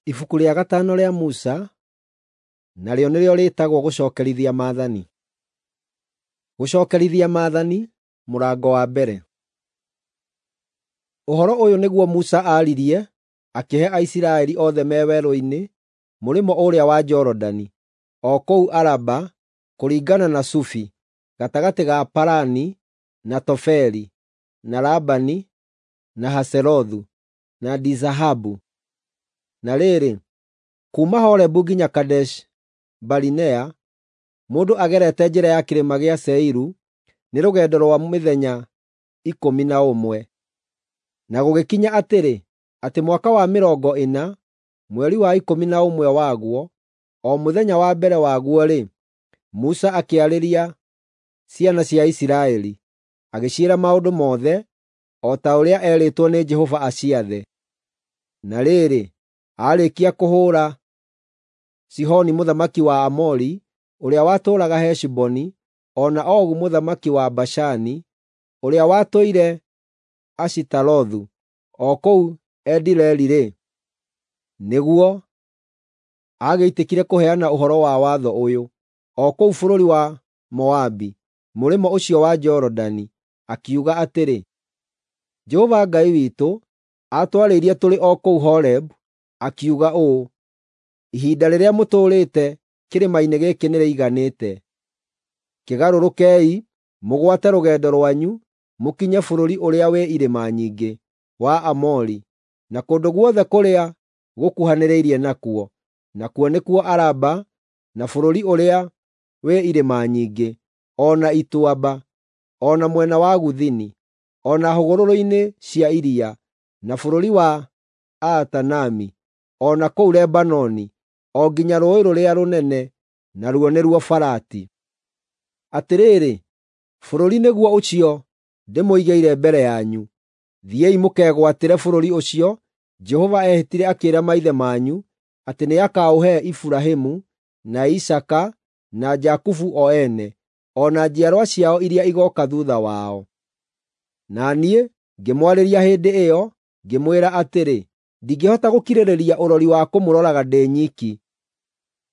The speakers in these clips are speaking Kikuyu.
Ibuku rĩa gatano rĩa Musa, narĩo nĩrĩo rĩĩtagwo Gũcookerithia Maathani. Gũcookerithia Maathani, mũrango wa mbere. Ũhoro ũyũ nĩguo Musa aaririe akĩhe Aisiraeli othe me werũ-inĩ mũrĩmo ũrĩa wa Jorodani, o kũu Araba, kũringana na Sufi, gatagatĩ ga Parani na Tofeli, na Labani, na Hazerothu, na Dizahabu. Na rĩrĩ, kuuma Horebu nginya Kadeshi-Barinea, mũndũ agerete njĩra ya kĩrĩma gĩa Seiru, nĩ rũgendo rwa mĩthenya 11. Na gũgĩkinya atĩrĩ, atĩ mwaka wa mĩrongo ĩna, mweri wa 11 waguo, o mũthenya wa mbere waguo-rĩ, Musa akĩarĩria ciana cia Isiraeli, agĩciĩra maũndũ mothe, o ta ũrĩa eerĩtwo nĩ Jehova aciathe. Na rĩrĩ, aarĩkia kũhũũra Sihoni mũthamaki wa Aamori, ũrĩa watũũraga Heshiboni, o na Ogu mũthamaki wa Bashani, ũrĩa watũire Ashitarothu, o kũu Edirei-rĩ, nĩguo agĩitĩkire kũheana ũhoro wa watho ũyũ, o kũu bũrũri wa Moabi, mũrĩmo ũcio wa Jorodani, akiuga atĩrĩ: Jehova Ngai witũ aatwarĩirie tũrĩ o kũu Horebu, akiuga ũũ, ‘Ihinda rĩrĩa mũtũũrĩte kĩrĩma-inĩ gĩkĩ nĩrĩiganĩte. Kĩgarũrũkei, mũgwate rũgendo rwanyu, mũkinye bũrũri ũrĩa wĩ irĩma nyingĩ wa Aamori, na kũndũ guothe kũrĩa gũkuhanĩrĩirie nakuo, nakuo nĩkuo Araba, na bũrũri ũrĩa wĩ irĩma nyingĩ, o na ituamba, o na mwena wa gũthini, o na hũgũrũrũ-inĩ cia iria, na bũrũri wa Aatanami, o na kũu Lebanoni, o nginya rũũĩ rũrĩa rũnene, naruo nĩruo Farati. Atĩrĩrĩ, bũrũri nĩguo ũcio ndĩmũigĩire mbere yanyu. Thiĩi mũkegwatĩre bũrũri ũcio Jehova eehĩtire akĩĩra maithe manyu atĩ nĩakaũhe Iburahĩmu, na Isaaka, na Jakubu o ene, o na njiarwa ciao iria igooka thuutha wao. Na niĩ ngĩmwarĩria hĩndĩ ĩyo, ngĩmwĩra atĩrĩ, “Ndingĩhota gũkirĩrĩria ũrori wa kũmũroraga ndĩ nyiki.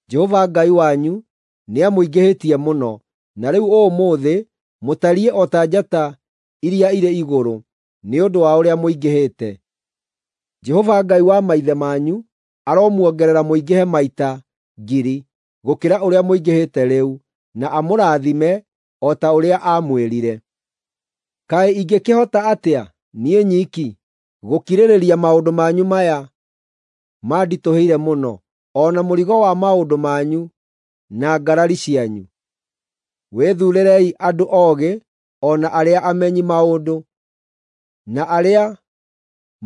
Jehova Ngai wanyu nĩamũingĩhĩtie mũno, na rĩu ũmũthĩ mũtariĩ o ta njata iria irĩ igũrũ nĩ ũndũ wa ũrĩa mũingĩhĩte. Jehova Ngai wa maithe manyu aromuongerera mũingĩhe maita ngiri gũkĩra ũrĩa mũingĩhĩte rĩu, na amũrathime o ta ũrĩa aamwĩrire. Kaĩ ingĩkĩhota atĩa, niĩ nyiki, gũkirĩrĩria maũndũ manyu maya manditũhĩire mũno, o na mũrigo wa maũndũ manyu na ngarari cianyu? Wĩthuurĩrei andũ oogĩ o na arĩa amenyi maũndũ, na arĩa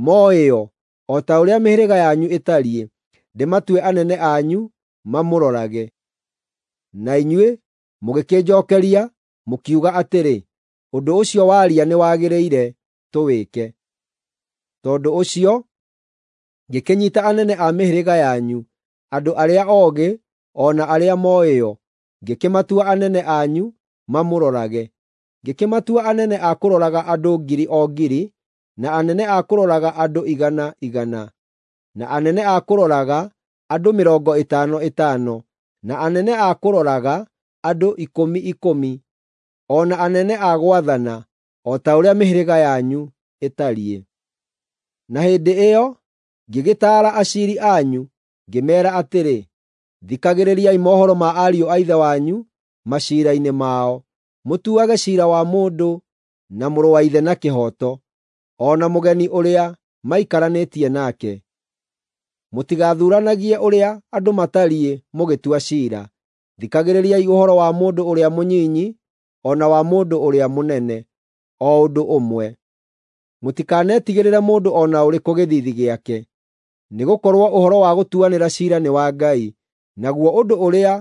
mooĩo o ta ũrĩa mĩhĩrĩga yanyu ĩtariĩ, ndĩmatue anene anyu mamũrorage.’ Na inyuĩ mũgĩkĩnjookeria, mũkiuga atĩrĩ, ‘Ũndũ ũcio waria nĩwagĩrĩire tũwĩke.’ Tondũ ũcio ngĩkĩnyiita anene a mĩhĩrĩga yanyu, andũ arĩa oogĩ o na arĩa mooĩo, ngĩkĩmatua anene anyu mamũrorage. Ngĩkĩmatua anene a kũroraga andũ ngiri o ngiri, na anene a kũroraga andũ igana igana, na anene a kũroraga andũ mĩrongo ĩtano ĩtano, na anene a kũroraga andũ ikũmi ikũmi, o na anene a gwathana, o ta ũrĩa mĩhĩrĩga yanyu ĩtariĩ. Na hĩndĩ ĩyo ngĩgĩtaara aciiri anyu, ngĩmeera atĩrĩ, ‘Thikagĩrĩriai mohoro ma ariũ a ithe wanyu maciira-inĩ mao, mũtuage ciira wa mũndũ na mũrũ wa ithe na kĩhooto, o na mũgeni ũrĩa maikaranĩtie nake. Mũtigathuuranagie ũrĩa andũ matariĩ mũgĩtua ciira. Thikagĩrĩriai ũhoro wa mũndũ ũrĩa mũnyinyi o na wa mũndũ ũrĩa mũnene o ũndũ ũmwe. Mũtikanetigĩrĩre mũndũ o na ũrĩkũ gĩthiithi gĩake, nĩgũkorwo ũhoro wa gũtuanĩra ciira nĩ wa Ngai, naguo ũndũ ũrĩa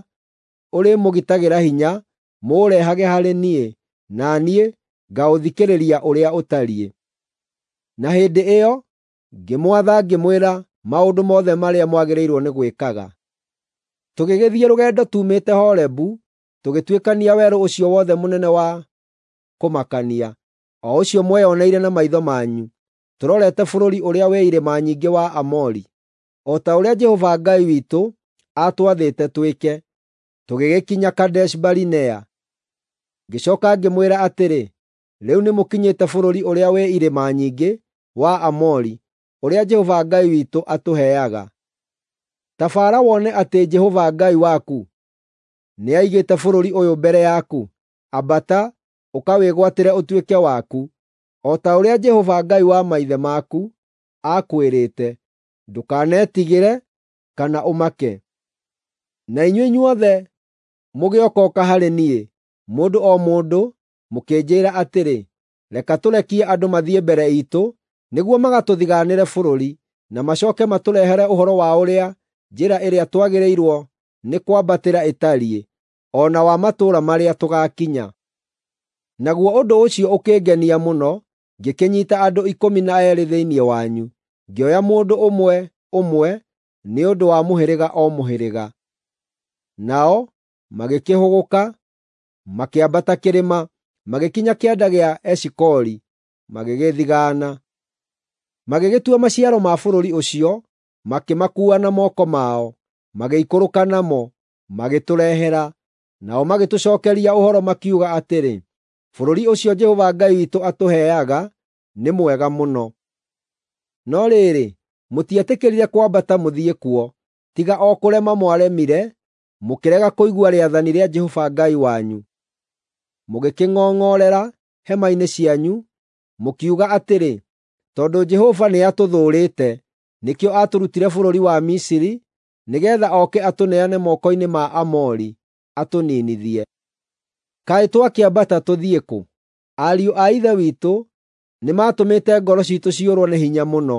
ũrĩmũgitagĩra hinya mũũrehage harĩ niĩ, na niĩ ngaũthikĩrĩria ũrĩa ũtariĩ.’ Na hĩndĩ ĩyo ngĩmwatha ngĩmwĩra maũndũ mothe marĩa mwagĩrĩirwo nĩ gwĩkaga. Tũgĩgĩthiĩ rũgendo tuumĩte Horebu, tũgĩtuĩkania werũ ũcio wothe mũnene wa kũmakania, o ũcio mweyoneire na maitho manyu, tũrorete bũrũri ũrĩa wĩ irĩma nyingĩ wa Aamori. o ta ũrĩa Jehova Ngai witũ aatwathĩte twĩke, tũgĩgĩkinya Kadeshi-Barinea. Ngĩcooka ngĩmwĩra atĩrĩ, “Rĩu nĩmũkinyĩte bũrũri ũrĩa wĩ irĩma nyingĩ wa Aamori, ũrĩa Jehova Ngai witũ atũheaga. Ta baara wone atĩ Jehova Ngai waku nĩaigĩte bũrũri ũyũ mbere yaku. Ambata, ũkawĩgwatĩre ũtuĩke waku, o ta ũrĩa Jehova Ngai wa maithe maku aakwĩrĩte. Ndũkanetigĩre kana ũmake.” Na inyuĩ inyuothe mũgĩokooka harĩ niĩ, mũndũ o mũndũ, mũkĩnjĩĩra atĩrĩ, “Reka tũrekie andũ mathiĩ mbere iitũ nĩguo magatũthigaanĩre bũrũri, na macooke matũrehere ũhoro wa ũrĩa njĩra ĩrĩa twagĩrĩirwo nĩ kwambatĩra ĩtariĩ, o na wa matũũra marĩa tũgaakinya.” Naguo ũndũ ũcio ũkĩngenia mũno, ngĩkĩnyiita andũ 12 thĩinĩ wanyu, ngĩoya mũndũ ũmwe ũmwe nĩ ũndũ wa mũhĩrĩga o mũhĩrĩga. Nao magĩkĩhũgũka, makĩambata kĩrĩma, magĩkinya kĩanda gĩa Eshikoli, magĩgĩthigaana. Magĩgĩtua maciaro ma bũrũri ũcio, makĩmakuua na moko mao, magĩikũrũka namo, magĩtũrehera. Nao magĩtũcookeria ũhoro makiuga atĩrĩ, “Bũrũri ũcio Jehova Ngai witũ atũheaga nĩ mwega mũno.” No rĩrĩ, mũtietĩkĩrire kwambata mũthiĩ kuo, tiga o kũrema mwaremire, mũkĩrega kũigua rĩathani rĩa Jehova Ngai wanyu. Mũgĩkĩng'ong'orera hema-inĩ cianyu, mũkiuga atĩrĩ, “Tondũ Jehova nĩatũthũũrĩte, nĩkĩo aatũrutire bũrũri wa Misiri nĩgeetha oke atũneane moko-inĩ ma Aamori, atũniinithie. Kaĩ twakĩambata tũthiĩ kũ? Ariũ a ithe witũ nĩmatũmĩte ngoro ciitũ ciũrwo nĩ hinya mũno,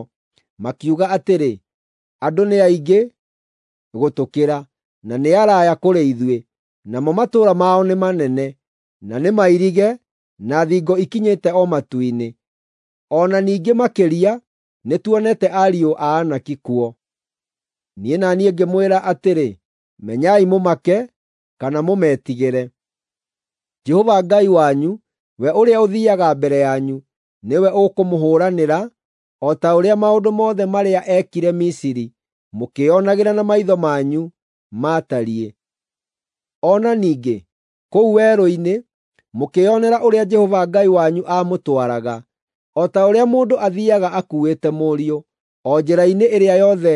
makiuga atĩrĩ, ‘Andũ nĩ aingĩ gũtũkĩra, na nĩ araya kũrĩ ithuĩ, namo matũũra mao nĩ manene, na nĩ mairige na thingo ikinyĩte o matu-inĩ. O na ningĩ makĩria nĩtuonete ariũ a Anaki kuo.’ Niĩ na niĩ ngĩmwĩra atĩrĩ, “Menyai mũmake kana mũmetigĩre. Jehova Ngai wanyu, we ũrĩa ũthiiaga mbere yanyu, nĩwe ũkũmũhũũranĩra, o ta ũrĩa maũndũ mothe marĩa eekire Misiri mũkĩĩonagĩra na maitho manyu maatariĩ. O na ningĩ, kũu werũ-inĩ, mũkĩĩonera ũrĩa Jehova Ngai wanyu aamũtwaraga, o ta ũrĩa mũndũ athiiaga akuuĩte mũriũ, o njĩra-inĩ ĩrĩa yothe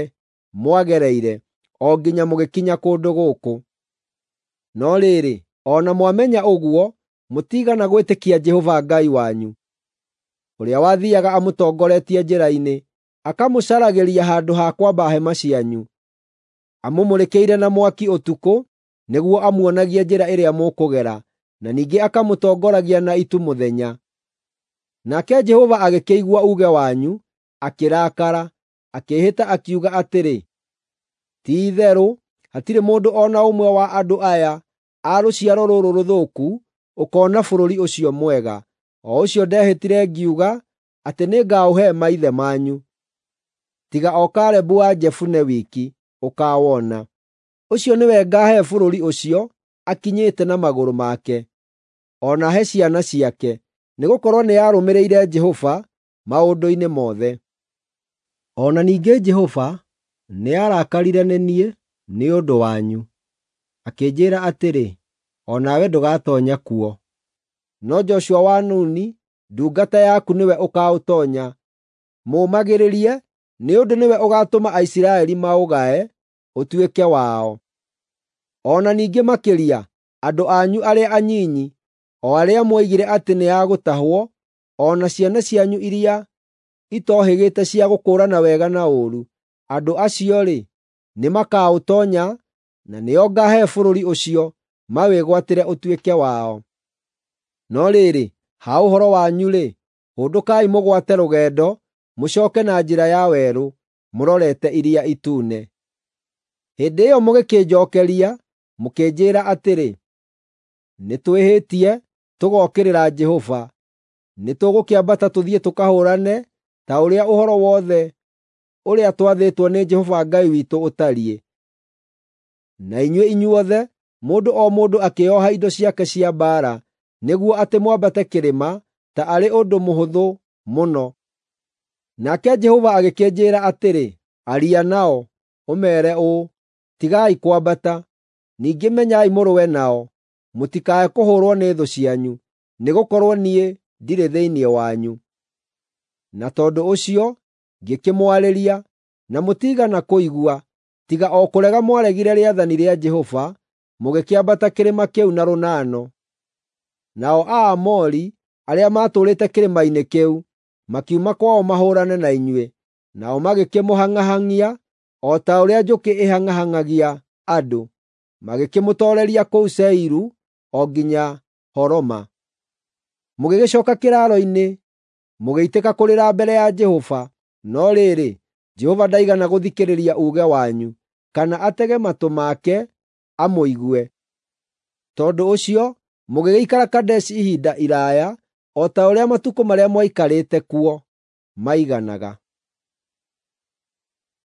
mwagereire, o nginya mũgĩkinya kũndũ gũkũ.” No rĩrĩ, o na mwamenya ũguo, mũtiigana gwĩtĩkia Jehova Ngai wanyu, ũrĩa wathiiaga amũtongoretie njĩra-inĩ, akamũcaragĩria handũ ha kwamba hema cianyu, amũmũrĩkĩire na mwaki ũtukũ nĩguo amuonagie njĩra ĩrĩa mũkũgera, na ningĩ akamũtongoragia na itu mũthenya. Nake Jehova agĩkĩigua uuge wanyu, akĩrakara, akĩĩhĩta akiuga atĩrĩ, “Ti-itherũ hatirĩ mũndũ o na ũmwe wa andũ aya a rũciaro rũrũ rũthũku ũkoona bũrũri ũcio mwega, o ũcio ndehĩtire ngiuga atĩ nĩngaũhe maithe manyu, tiga o Kalebu wa Jefune wiki ũkaawona. Ũcio nĩwe ngaahe bũrũri ũcio akinyĩte na magũrũ make, o na he ciana ciake, nĩgũkorwo nĩarũmĩrĩire Jehova maũndũ-inĩ mothe.” O na ningĩ Jehova nĩarakarire nĩ niĩ nĩ ũndũ wanyu, akĩnjĩĩra atĩrĩ, “O nawe ndũgatoonya kuo. No Joshua wa Nuni, ndungata yaku, nĩwe ũkaũtoonya. Mũũmagĩrĩrie, nĩ ũndũ nĩwe ũgaatũma Aisiraeli maũgae ũtuĩke wao. O na ningĩ makĩria, andũ anyu arĩa anyinyi, o arĩa mwoigire atĩ nĩ a gũtahwo, o na ciana cianyu iria itohĩgĩte cia gũkũũrana wega na ũũru, andũ acio-rĩ, nĩmakaũtoonya na nĩo ngaahe bũrũri ũcio mawĩgwatĩre ũtuĩke wao. No rĩrĩ, ha ũhoro wanyu-rĩ, hũndũkai mũgwate rũgendo mũcooke na njĩra ya werũ, mũrorete Iria Itune.” Hĩndĩ ĩyo mũgĩkĩnjookeria, mũkĩnjĩĩra atĩrĩ, “Nĩtwĩhĩtie tũgookĩrĩra Jehova. Nĩtũgũkĩambata tũthiĩ tũkahũũrane ta ũrĩa ũhoro wothe ũrĩa twathĩtwo nĩ Jehova Ngai witũ ũtariĩ.” Na inyuĩ inyuothe, mũndũ o mũndũ akĩĩoha indo ciake cia mbaara, nĩguo atĩ mwambate kĩrĩma ta arĩ ũndũ mũhũthũ mũno. Nake Jehova agĩkĩnjĩĩra atĩrĩ, “Aria nao. ũmeere ũũ, ‘Tigai kwambata. Ningĩ menyai mũrũe nao, mũtikae kũhũũrwo nĩ thũ cianyu, nĩgũkorwo niĩ ndirĩ thĩinĩ wanyu.’ Na tondũ ũcio ngĩkĩmwarĩria, na mũtiigana kũigua, tiga o kũrega mwaregire rĩathani rĩa Jehova, mũgĩkĩambata kĩrĩma kĩu na rũnano. Nao Aamori arĩa maatũũrĩte kĩrĩma-inĩ kĩu makiuma kwao mahũũrane na inyuĩ, nao magĩkĩmũhang'ahang'ia o ta ũrĩa njũkĩ ĩhang'ahang'agia andũ, magĩkĩmũtooreria kũu Seiru o nginya Horoma. Mũgĩgĩcooka kĩraaro-inĩ, mũgĩitĩka kũrĩra mbere ya Jehova, no rĩrĩ, Jehova ndaigana gũthikĩrĩria uuge wanyu, kana atege matũ make amũigue. Tondũ ũcio mũgĩgĩikara Kadeshi ihinda iraaya, o ta ũrĩa matukũ marĩa mwaikarĩte kuo maiganaga.